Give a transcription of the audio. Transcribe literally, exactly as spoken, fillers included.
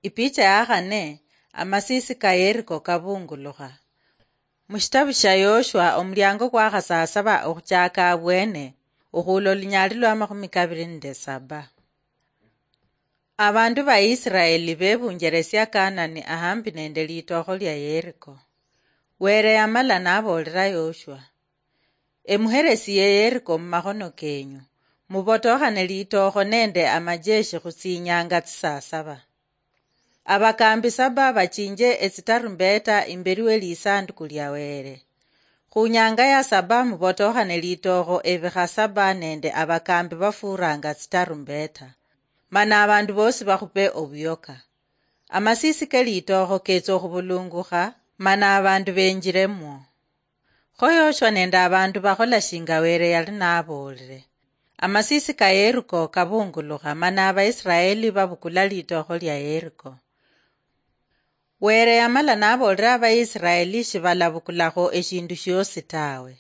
Ipicha ya khane, amasisi ka Yeriko kabungulukha. Mushitabu sha Yoshua, omulyango kwakhasasaba okhuchaka abwene, okhuula olunyali lwa makhumi kabiri nende saba. Abandu ba Israeli bebunjeresia Kanani ahambi nende litookho lia Yeriko. Were yamala naboolera Yoshua, "Emuheresie Yeriko mumakhono kenyu, mubotokhane litookho nende amajeshi khutsinyanga tsisasaba." Abakambi saba bachinje etsitarumbeta imberi we lisanduku lia Were. Khunyanga ya saba mubotokhane litookho ebikha saba nende abakambi bafuranga tsitarumbeta, mana abandu bosi bakhupe obuyoka. Amasisi ke litookho ketsa okhubulungukha, mana abandu benjiremwo. Kho Yoshua nende abandu bakhola shinga Were yali naboolere. Amasisi ka Yeriko kabungulukha, mana Abaisiraeli babukula litookho lia Yeriko. Were yamala naboolera Abaisiraeli shibalabukulakho eshindu shiosi tawe.